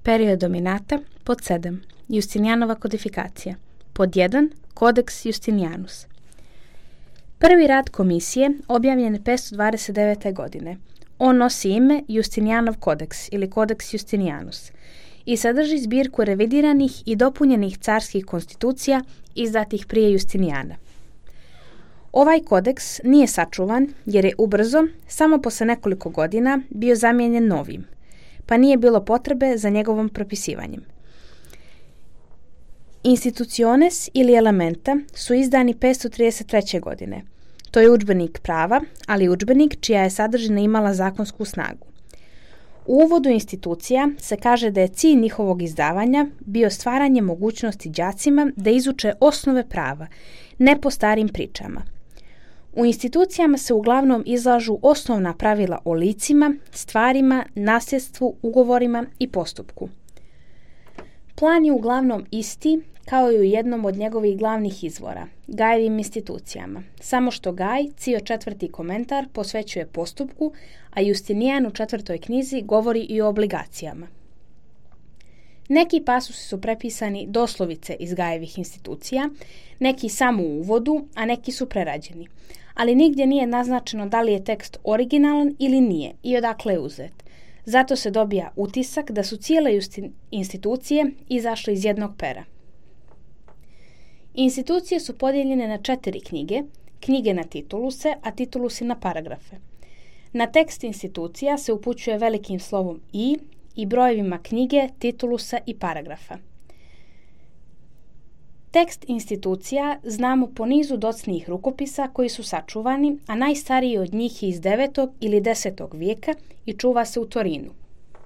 Period dominata. Pod 7. Justinijanova kodifikacija. Pod 1. Kodeks Justinijanus. Prvi rad komisije objavljen je 529. godine. On nosi ime Justinijanov kodeks ili kodeks Justinijanus i sadrži zbirku revidiranih i dopunjenih carskih konstitucija izdatih prije Justinijana. Ovaj kodeks nije sačuvan jer je ubrzo, samo posle nekoliko godina, bio zamijenjen novim, pa nije bilo potrebe za njegovom propisivanjem. Instituciones ili elementa su izdani 533. godine. To je udžbenik prava, ali udžbenik čija je sadržina imala zakonsku snagu. U uvodu institucija se kaže da je cilj njihovog izdavanja bio stvaranje mogućnosti đacima da izuče osnove prava, ne po starim pričama. U institucijama se uglavnom izlažu osnovna pravila o licima, stvarima, nasljedstvu, ugovorima i postupku. Plan je uglavnom isti kao i u jednom od njegovih glavnih izvora, Gajevim institucijama, samo što Gaj, cio 4. komentar, posvećuje postupku, a Justinijan u 4. knjizi govori i o obligacijama. Neki pasusi su prepisani doslovice iz Gajevih institucija, neki samo u uvodu, a neki su prerađeni. Ali nigdje nije naznačeno da li je tekst originalan ili nije i odakle je uzet. Zato se dobija utisak da su cijele institucije izašle iz jednog pera. Institucije su podijeljene na 4 knjige, knjige na tituluse, a titulusi na paragrafe. Na tekst institucija se upućuje velikim slovom i brojevima knjige, titulusa i paragrafa. Tekst institucija znamo po nizu docnijih rukopisa koji su sačuvani, a najstariji od njih je iz 9. ili 10. vijeka i čuva se u Torinu.